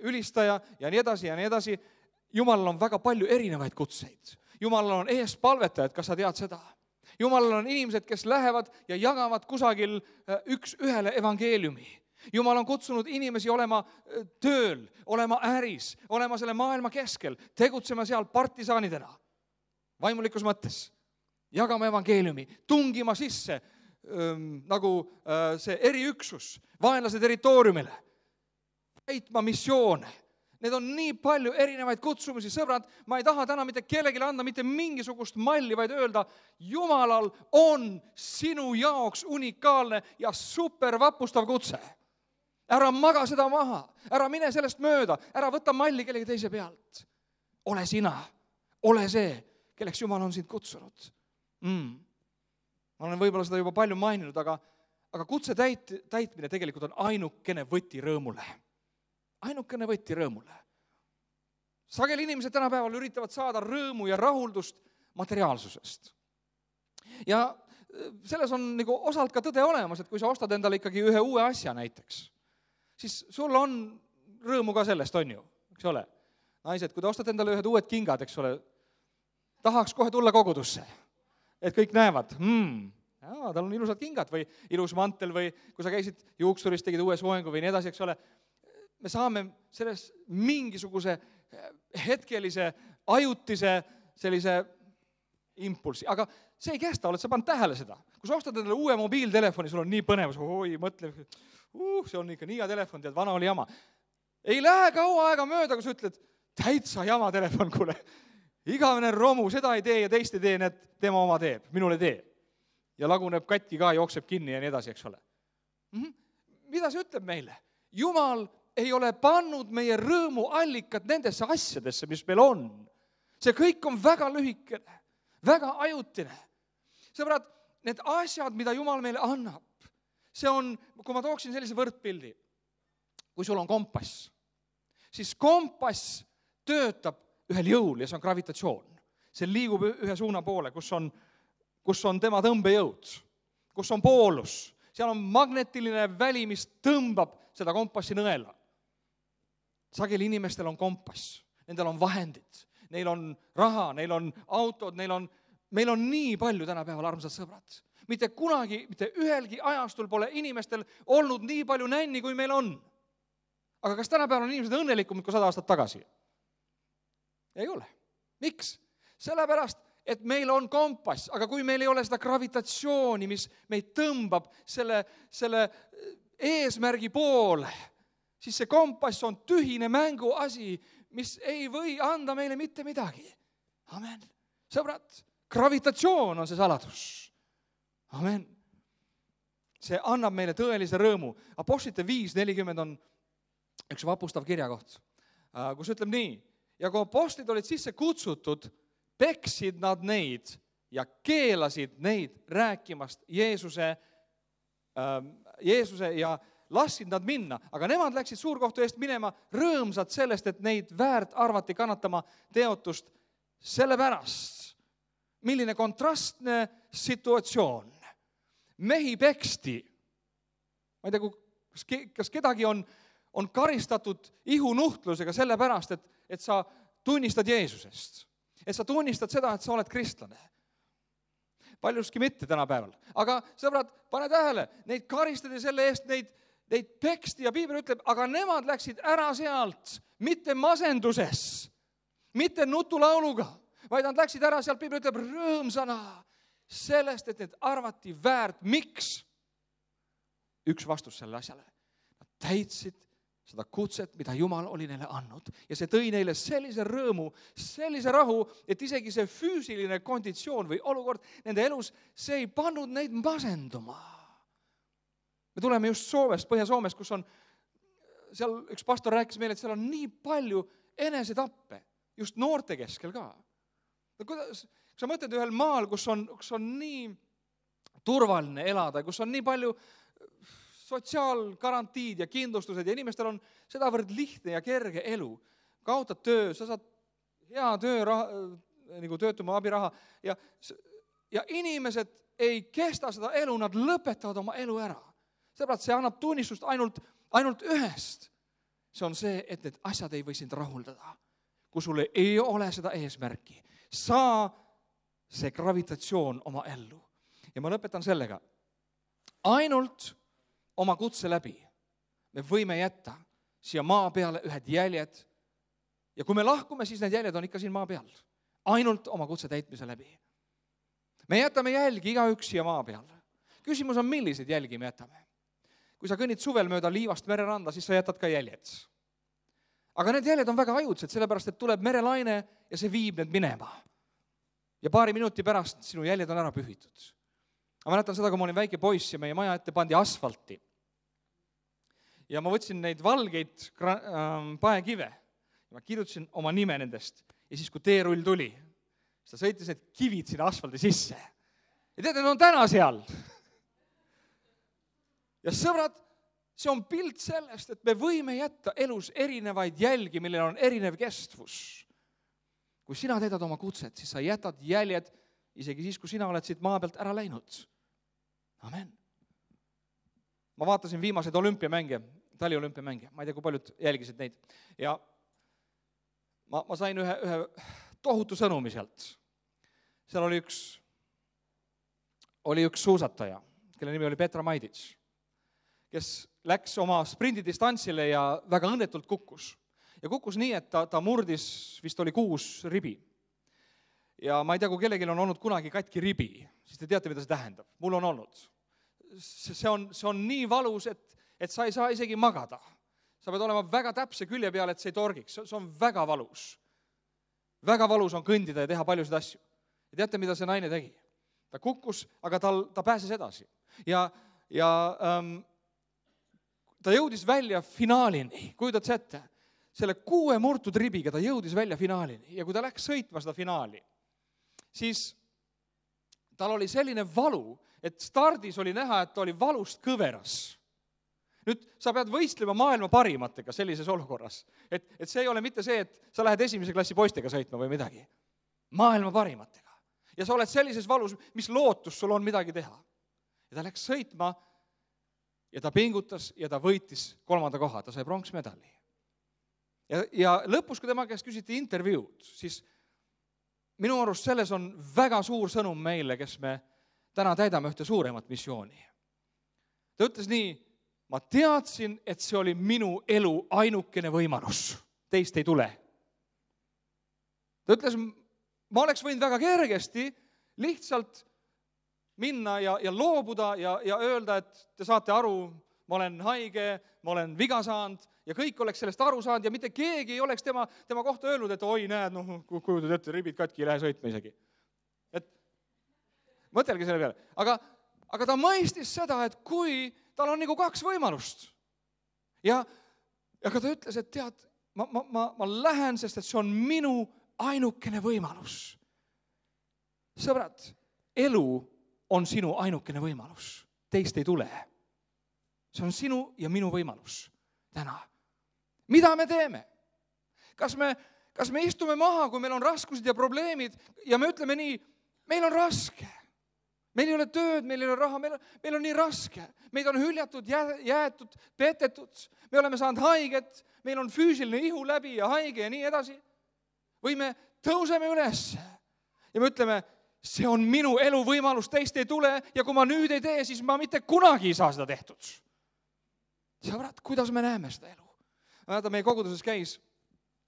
ülistaja ja nii edasi ja nii edasi. Jumalal on väga palju erinevaid kutseid. Jumalal on eespalvetajad, kas sa tead seda? Jumalal on inimesed, kes lähevad ja jagavad kusagil üks ühele evangeeliumi. Jumal on kutsunud inimesi olema tööl, olema äris, olema selle maailma keskel, tegutsema seal partisaanidena, vaimulikus mõttes, jagama evangeeliumi, tungima sisse nagu see eriüksus vaenlase territooriumile, täitma missioone. Need on nii palju erinevaid kutsumisi, sõbrad, ma ei taha täna mitte kellelegi anda mitte mingisugust malli, vaid öelda, Jumalal on sinu jaoks unikaalne ja supervapustav kutse. Ära maga seda maha, ära mine sellest mööda, ära võta malli kellegi teise pealt. Ole sina, ole see, kelleks Jumal on sind kutsunud. Ma olen võib-olla seda juba palju maininud, aga kutse täitmine tegelikult on ainukene võti rõõmule. Ainukene võti rõõmule. Sageli inimesed tänapäeval üritavad saada rõõmu ja rahuldust materiaalsusest. Ja selles on nagu osalt ka tõde olemas, et kui sa ostad endale ikkagi ühe uue asja näiteks, siis sul on rõõmu ka sellest, on ju, eks ole. Naised, kui te ostate endale ühed uued kingad, eks ole, tahaks kohe tulla kogudusse, et kõik näevad, tal on ilusad kingad või ilus mantel või kui sa käisid juuksuris, tegid uue soengu või nii edasi, eks ole, me saame selles mingisuguse hetkelise, ajutise sellise impulsi, aga see ei kesta, oled sa pannud tähele seda. Kui sa ostad endale uue mobiiltelefoni, sul on nii põnevus, mõtle, see on ikka nii hea telefon, tead, vana oli jama. Ei lähe kaua aega mööda, kui sa ütled, täitsa jama telefon, kuule, igavene romu, seda ei tee ja teist ei tee, need tema oma teeb, minule tee. Ja laguneb katki ka, jookseb kinni ja nii edasi, eks ole. Mida see ütleb meile? Jumal ei ole pannud meie rõõmu allikat nendesse asjadesse, mis meil on. See kõik on väga lühikene, väga ajutine. Sõbrad, need asjad, mida Jumal meile annab, see on, kui ma tooksin sellise võrdpildi, kui sul on kompass, siis kompass töötab ühel jõul ja see on gravitatsioon. See liigub ühe suuna poole, kus on tema tõmbejõud, kus on poolus. Seal on magnetiline väli, mis tõmbab seda kompassi nõela. Sageli inimestel on kompass, nendel on vahendid, neil on raha, neil on autod, meil on nii palju tänapäeval, armsad sõbrad. Mitte kunagi, mitte ühelgi ajastul pole inimestel olnud nii palju nänni, kui meil on. Aga kas tänapäeval on inimesed õnnelikumad kui 100 aastat tagasi? Ei ole. Miks? Sellepärast, et meil on kompass, aga kui meil ei ole seda gravitatsiooni, mis meid tõmbab selle eesmärgi poole, siis see kompass on tühine mänguasi, mis ei või anda meile mitte midagi. Amen. Sõbrad, gravitatsioon on see saladus. Amen. See annab meile tõelise rõõmu. Apostlite 5:40 on üks vapustav kirjakoht, kus ütleb nii, ja kui apostlid olid sisse kutsutud, peksid nad neid ja keelasid neid rääkimast Jeesuse ja lasid nad minna, aga nemad läksid suurkohtu eest minema rõõmsad sellest, et neid väärt arvati kannatama teotust sellepärast. Milline kontrastne situatsioon. Mehi peksti. Ma ei tea, kas kedagi on karistatud ihunuhtlusega sellepärast, et sa tunnistad Jeesusest. Et sa tunnistad seda, et sa oled kristlane. Paljuski mitte tänapäeval. Aga sõbrad, pane tähele, neid karistati selle eest, neid peksti ja Piibel ütleb, aga nemad läksid ära sealt, mitte masenduses, mitte nutulauluga, vaid nad läksid ära sealt, Piibel ütleb, rõõmsana sellest, et need arvati väärt. Miks? Üks vastus selle asjale. Nad täitsid seda kutset, mida Jumal oli neile andnud. Ja see tõi neile sellise rõõmu, sellise rahu, et isegi see füüsiline konditsioon või olukord nende elus, see ei pannud neid masenduma. Me tuleme just Soomest, Põhja-Soomest, kus on, seal üks pastor rääkis meile, et seal on nii palju enesetappe, just noorte keskel ka. Kuidas sa mõtled ühel maal, kus on nii turvaline elada, kus on nii palju sotsiaalgarantiid ja kindlustused ja inimestel on sedavõrd lihtne ja kerge elu. Kaotad töö, sa saad hea tööraha, nagu töötuma abiraha ja inimesed ei kesta seda elu, nad lõpetavad oma elu ära. Sõbrad, see annab tunnistust ainult ühest. See on see, et need asjad ei või sind rahuldada. Kui sulle ei ole seda eesmärki, saa see gravitatsioon oma ellu. Ja ma lõpetan sellega. Ainult oma kutse läbi me võime jätta siia maa peale ühed jäljed. Ja kui me lahkume, siis need jäljed on ikka siin maa peal. Ainult oma kutse täitmise läbi. Me jätame jälgi igaüks siia maa peal. Küsimus on, milliseid jälgi me jätame. Kui sa kõnnid suvel mööda Liivast mereranda, siis sa jätad ka jäljed. Aga need jäljed on väga ajudsed, sellepärast et tuleb merelaine ja see viib need minema. Ja paari minuti pärast sinu jäljed on ära pühitud. Ma mäletan seda, kui ma olin väike poiss ja meie maja ette pandi asfalti. Ja ma võtsin neid valgeid paekive. Ma kirjutasin oma nime nendest. Ja siis, kui teerull tuli, siis ta sõitis need kivid sinna asfaldi sisse. Ja tead, need on täna seal. Ja sõbrad, see on pilt sellest, et me võime jätta elus erinevaid jälgi, millel on erinev kestvus. Kui sina teedad oma kutset, siis sa jätad jäljed isegi siis, kui sina oled siit maa pealt ära läinud. Amen. Ma vaatasin viimaseid olümpiamänge, taliolümpiamänge. Ma ei tea, kui paljud jälgisid neid. Ja ma sain ühe tohutu sõnumi sealt. Seal oli üks suusataja, kelle nimi oli Petra Maidits, kes läks oma sprindidistantsile ja väga õnnetult kukkus. Ja kukkus nii, et ta murdis, vist oli 6 ribi. Ja ma ei tea, kui kellelgi on olnud kunagi katki ribi, siis te teate, mida see tähendab. Mul on olnud. See on nii valus, et sa ei saa isegi magada. Sa pead olema väga täpse külje peal, et see ei torgiks. See on väga valus. Väga valus on kõndida ja teha paljusid asju. Ja teate, mida see naine tegi? Ta kukkus, aga ta pääses edasi. Ja ta jõudis välja finaalini. Kujutad see ette? Selle 6 murtud ribiga ta jõudis välja finaalini. Ja kui ta läks sõitma seda finaali, siis tal oli selline valu, et stardis oli näha, et ta oli valust kõveras. Nüüd sa pead võistlema maailma parimatega sellises olukorras. Et see ei ole mitte see, et sa lähed esimese klassi poistega sõitma või midagi. Maailma parimatega. Ja sa oled sellises valus, mis lootus sul on midagi teha. Ja ta läks sõitma ja ta pingutas ja ta võitis 3. koha. Ta sai pronksmedali. Ja lõpus, kui tema käest küsiti intervjuud, siis minu arust selles on väga suur sõnum meile, kes me täna täidame ühte suuremat missiooni. Ta ütles nii, ma teadsin, et see oli minu elu ainukene võimalus. Teist ei tule. Ta ütles, ma oleks võinud väga kergesti lihtsalt minna ja loobuda ja öelda, et te saate aru, ma olen haige, ma olen viga saanud ja kõik oleks sellest aru saanud ja mitte keegi ei oleks tema kohta öelnud, et oi, näed, kujutad ette, ribid katki, ei lähe sõitma isegi. Et mõtelge selle peale. Aga ta mõistis seda, et kui tal on nagu 2 võimalust. Ja ta ütles, et tead, ma lähen, sest et see on minu ainukene võimalus. Sõbrad, elu on sinu ainukene võimalus. Teist ei tule. See on sinu ja minu võimalus täna. Mida me teeme? Kas me istume maha, kui meil on raskused ja probleemid ja me ütleme nii, meil on raske. Meil ei ole tööd, meil ei ole raha, meil on nii raske. Meid on hüljatud, jäetud, petetud. Me oleme saanud haiget, meil on füüsiline ihu läbi ja haige ja nii edasi. Või me tõuseme üles ja me ütleme, see on minu elu võimalus, teist ei tule ja kui ma nüüd ei tee, siis ma mitte kunagi ei saa seda tehtud. Sõbrad, kuidas me näeme seda elu? Meie koguduses käis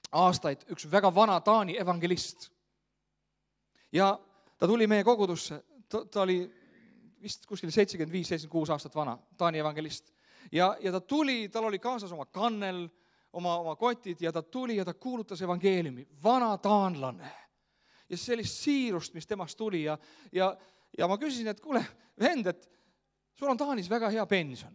aastaid üks väga vana Taani evangelist. Ja ta tuli meie kogudusse, ta oli vist kuskil 75-76 aastat vana, Taani evangelist. Ja ta tuli, tal oli kaasas oma kannel, oma kotid ja ta tuli ja ta kuulutas evangeeliumi. Vana taanlane. Ja sellist siirust, mis temast tuli. Ja ma küsisin, et kuule, vend, et sul on Taanis väga hea pension.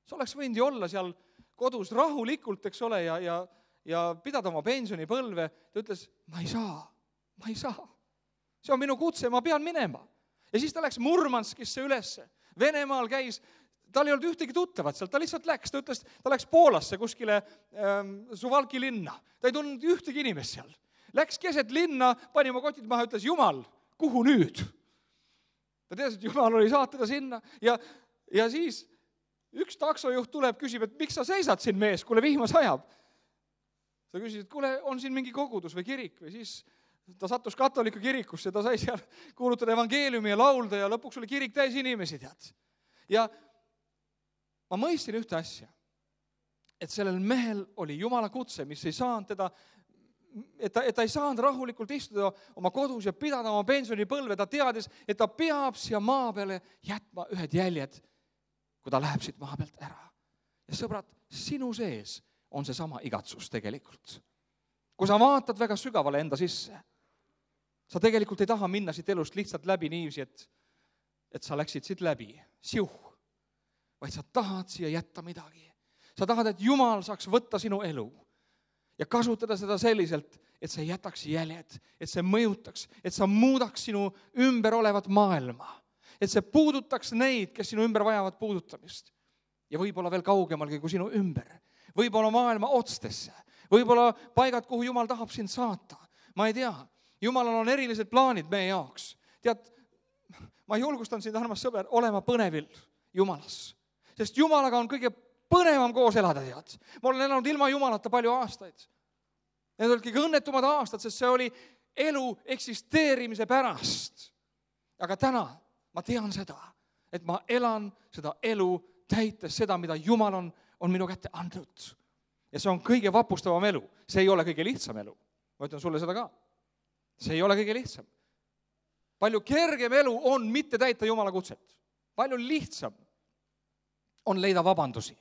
Sa oleks võinud ju olla seal kodus rahulikult, eks ole, ja pidada oma pensionipõlve. Ta ütles, ma ei saa. See on minu kutse, ma pean minema. Ja siis ta läks Murmanskisse ülesse. Venemaal käis, tal ei olnud ühtegi tuttavat seal, ta lihtsalt läks. Ta ütles, ta läks Poolasse kuskile Suvalki linna. Ta ei tundnud ühtegi inimest seal. Läks keset linna, pani oma kotid maha, ütles, Jumal, kuhu nüüd? Ta teadis, et Jumal oli saatada sinna. Ja siis üks taksojuht tuleb, küsib, et miks sa seisad siin mees, kuule vihma sajab. Ta küsis, et kuule, on siin mingi kogudus või kirik või siis ta sattus katoliku kirikusse, ta sai seal kuulutada evangeeliumi ja laulda ja lõpuks oli kirik täis inimesi, tead. Ja ma mõistsin ühte asja, et sellel mehel oli Jumala kutse, mis ei saanud teda, et ta ei saanud rahulikult istuda oma kodus ja pidada oma pensionipõlve, ta teadis, et ta peab siia maa peale jätma ühed jäljed, kui ta läheb siit maa pealt ära. Ja sõbrad, sinu sees on see sama igatsus tegelikult. Kui sa vaatad väga sügavale enda sisse, sa tegelikult ei taha minna siit elust lihtsalt läbi niiviisi, et sa läksid siit läbi, vaid sa tahad siia jätta midagi. Sa tahad, et Jumal saaks võtta sinu elu ja kasutada seda selliselt, et see jätaks jäljed, et see mõjutaks, et sa muudaks sinu ümber olevat maailma, et see puudutaks neid, kes sinu ümber vajavad puudutamist. Ja võib-olla veel kaugemalgi kui sinu ümber. Võib-olla maailma otstesse. Võib-olla paigad, kuhu Jumal tahab sind saata. Ma ei tea. Jumalal on erilised plaanid meie jaoks. Tead, ma julgustan sind, armas sõber, olema põnevil Jumalas. Sest Jumalaga on kõige põnevam koos elada, tead. Ma olen elanud ilma Jumalata palju aastaid. Need olid kõige õnnetumad aastad, sest see oli elu eksisteerimise pärast. Aga täna ma tean seda, et ma elan seda elu täites seda, mida Jumal on minu kätte andnud. Ja see on kõige vapustavam elu. See ei ole kõige lihtsam elu. Ma ütlen sulle seda ka. See ei ole kõige lihtsam. Palju kergem elu on mitte täita Jumala kutset. Palju lihtsam on leida vabandusi.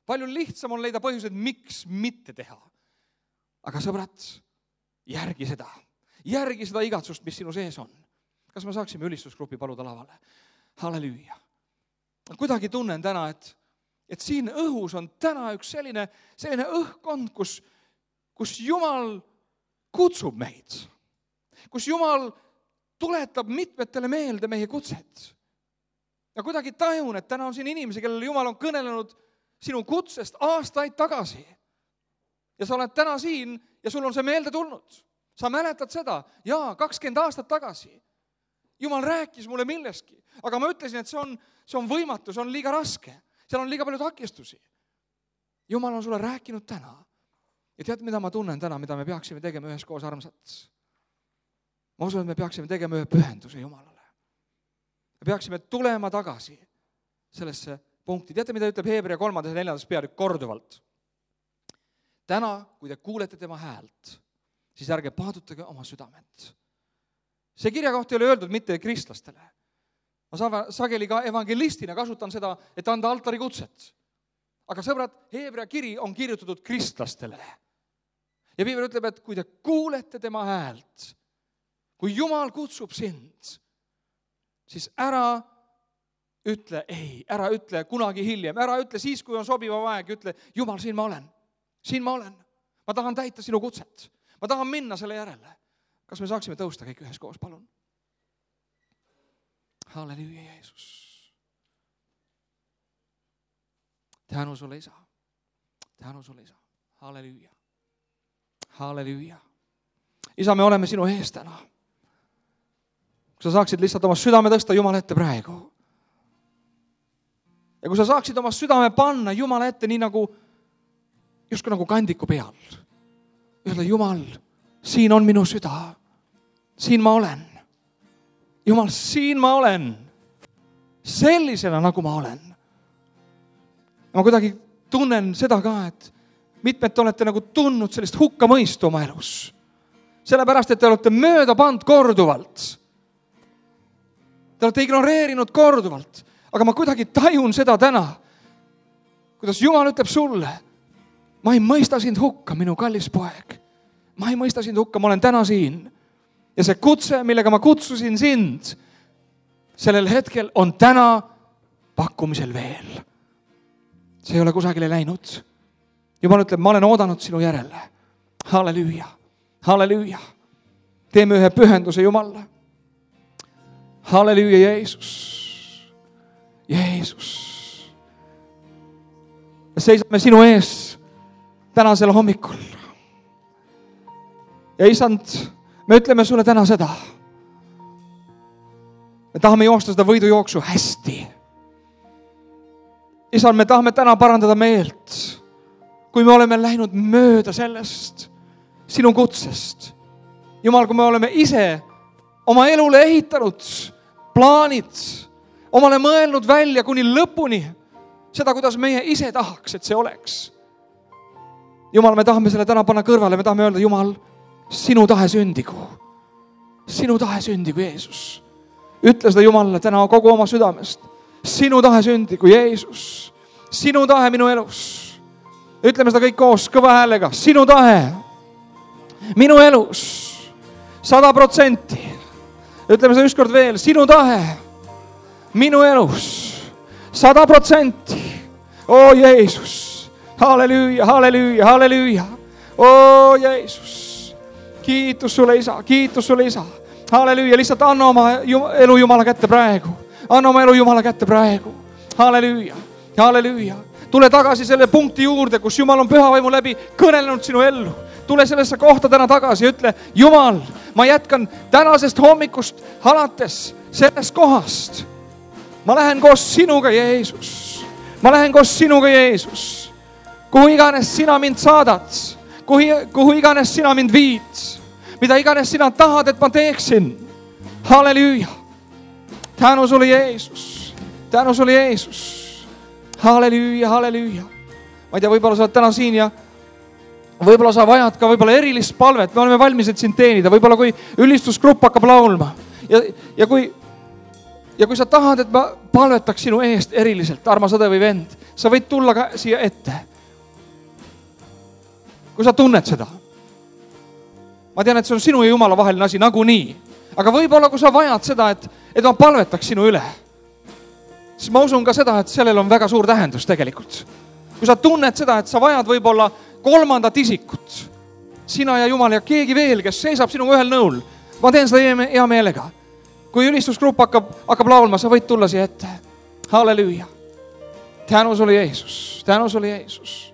Palju lihtsam on leida põhjused, miks mitte teha. Aga sõbrad, järgi seda. Järgi seda igatsust, mis sinu sees on. Kas me saaksime ülistusgrupi paluda lavale? Halleluuja. Kuidagi tunnen täna, et siin õhus on täna üks selline õhkkond, kus Jumal kutsub meid. Kus Jumal tuletab mitmetele meelde meie kutset. Ja kuidagi tajun, et täna on siin inimesi, kellele Jumal on kõnelenud sinu kutsest aastaid tagasi. Ja sa oled täna siin ja sul on see meelde tulnud. Sa mäletad seda, 20 aastat tagasi. Jumal rääkis mulle milleski, aga ma ütlesin, et see on võimatu, see on liiga raske. Seal on liiga palju takistusi. Jumal on sulle rääkinud täna. Ja tead, mida ma tunnen täna, mida me peaksime tegema üheskoos, armsad? Ma usun, et me peaksime tegema ühe pühenduse Jumalale. Me peaksime tulema tagasi sellesse punkti. Teate, mida ütleb Heebrea 3. ja 4. peatükk korduvalt? Täna, kui te kuulete tema häält, siis ärge paadutage oma südamet. See kirjakoht ei ole öeldud mitte kristlastele. Ma sageli ka evangelistina kasutan seda, et anda altari kutset. Aga sõbrad, Heebrea kiri on kirjutatud kristlastele. Ja Piibel ütleb, et kui te kuulete tema häält, kui Jumal kutsub sind, siis ära ütle ei, ära ütle kunagi hiljem, ära ütle siis, kui on sobiva aeg, ütle, Jumal, siin ma olen. Siin ma olen. Ma tahan täita sinu kutset. Ma tahan minna selle järele. Kas me saaksime tõusta kõik üheskoos, palun? Halleluuja, Jeesus. Tänu sulle, Isa. Tänu sulle, Isa. Halleluuja. Halleluuja. Isa, me oleme sinu ees täna. Kui sa saaksid lihtsalt oma südame tõsta Jumala ette praegu. Ja kui sa saaksid oma südame panna Jumala ette nii justkui nagu kandiku peal. Öelda, Jumal, siin on minu süda. Siin ma olen. Jumal, siin ma olen. Sellisena, nagu ma olen. Ma kuidagi tunnen seda ka, et mitmed olete nagu tundnud sellist hukkamõistu oma elus. Sellepärast, et te olete mööda pand korduvalt. Te olete ignoreerinud korduvalt. Aga ma kuidagi tajun seda täna, kuidas Jumal ütleb sulle, ma ei mõista sind hukka, minu kallis poeg. Ma ei mõista sind hukka, ma olen täna siin. Ja see kutse, millega ma kutsusin sind, sellel hetkel on täna pakkumisel veel. See ei ole kusagile läinud. Jumal ütleb, ma olen oodanud sinu järele. Halleluuja, halleluuja. Teeme ühe pühenduse Jumalle. Halleluuja, Jeesus. Jeesus. Seisame sinu ees tänasel hommikul. Ja isand, me ütleme sulle täna seda. Me tahame joosta seda võidujooksu hästi. Isand, me tahame täna parandada meelt, kui me oleme läinud mööda sellest sinu kutsest. Jumal, kui me oleme ise oma elule ehitanud plaanid, omale mõelnud välja kuni lõpuni seda, kuidas meie ise tahaks, et see oleks. Jumal, me tahame selle täna panna kõrvale, me tahame öelda, Jumal, sinu tahe sündigu. Sinu tahe sündigu, Jeesus. Ütle seda Jumalale täna kogu oma südamest. Sinu tahe sündigu, Jeesus. Sinu tahe minu elus. Ütleme seda kõik koos kõva häälega. Sinu tahe minu elus 100%. Ütleme seda ükskord veel. Sinu tahe minu elus 100%. O Jeesus. Halleluuja, halleluuja, halleluuja. O Jeesus. Kiitus sulle, Isa, kiitus sulle, Isa. Halleluuja, lihtsalt anna oma elu Jumala kätte praegu. Anna oma elu Jumala kätte praegu. Halleluuja, halleluuja. Tule tagasi selle punkti juurde, kus Jumal on püha vaimu läbi kõnelenud sinu ellu. Tule sellesse kohta täna tagasi ja ütle, Jumal, ma jätkan tänasest hommikust alates sellest kohast. Ma lähen koos sinuga, Jeesus. Ma lähen koos sinuga, Jeesus. Kuhu iganes sina mind saadad, kuhu iganes sina mind viid, mida iganes sina tahad, et ma teeksin. Halleluuja. Tänu sulle, Jeesus. Tänu sulle, Jeesus. Halleluuja, halleluuja. Ma ei tea, võib-olla sa oled täna siin ja võib-olla sa vajad ka võib-olla erilist palvet. Me oleme valmis, et sind teenida. Võib-olla kui ülistusgrupp hakkab laulma ja kui sa tahad, et ma palvetaks sinu eest eriliselt, armas õde või vend, sa võid tulla ka siia ette. Kui sa tunned seda. Ma tean, et see on sinu ja Jumala vaheline asi nagunii. Aga võib-olla, kui sa vajad seda, et ma palvetaks sinu üle, siis ma usun ka seda, et sellel on väga suur tähendus tegelikult. Kui sa tunned seda, et sa vajad võib-olla kolmandat isikut, sina ja Jumal ja keegi veel, kes seisab sinuga ühel nõul, ma teen seda hea meelega. Kui ülistusgrupp hakkab laulma, sa võid tulla siia ette. Halleluuja. Tänu sulle, Jeesus. Tänu sulle, Jeesus.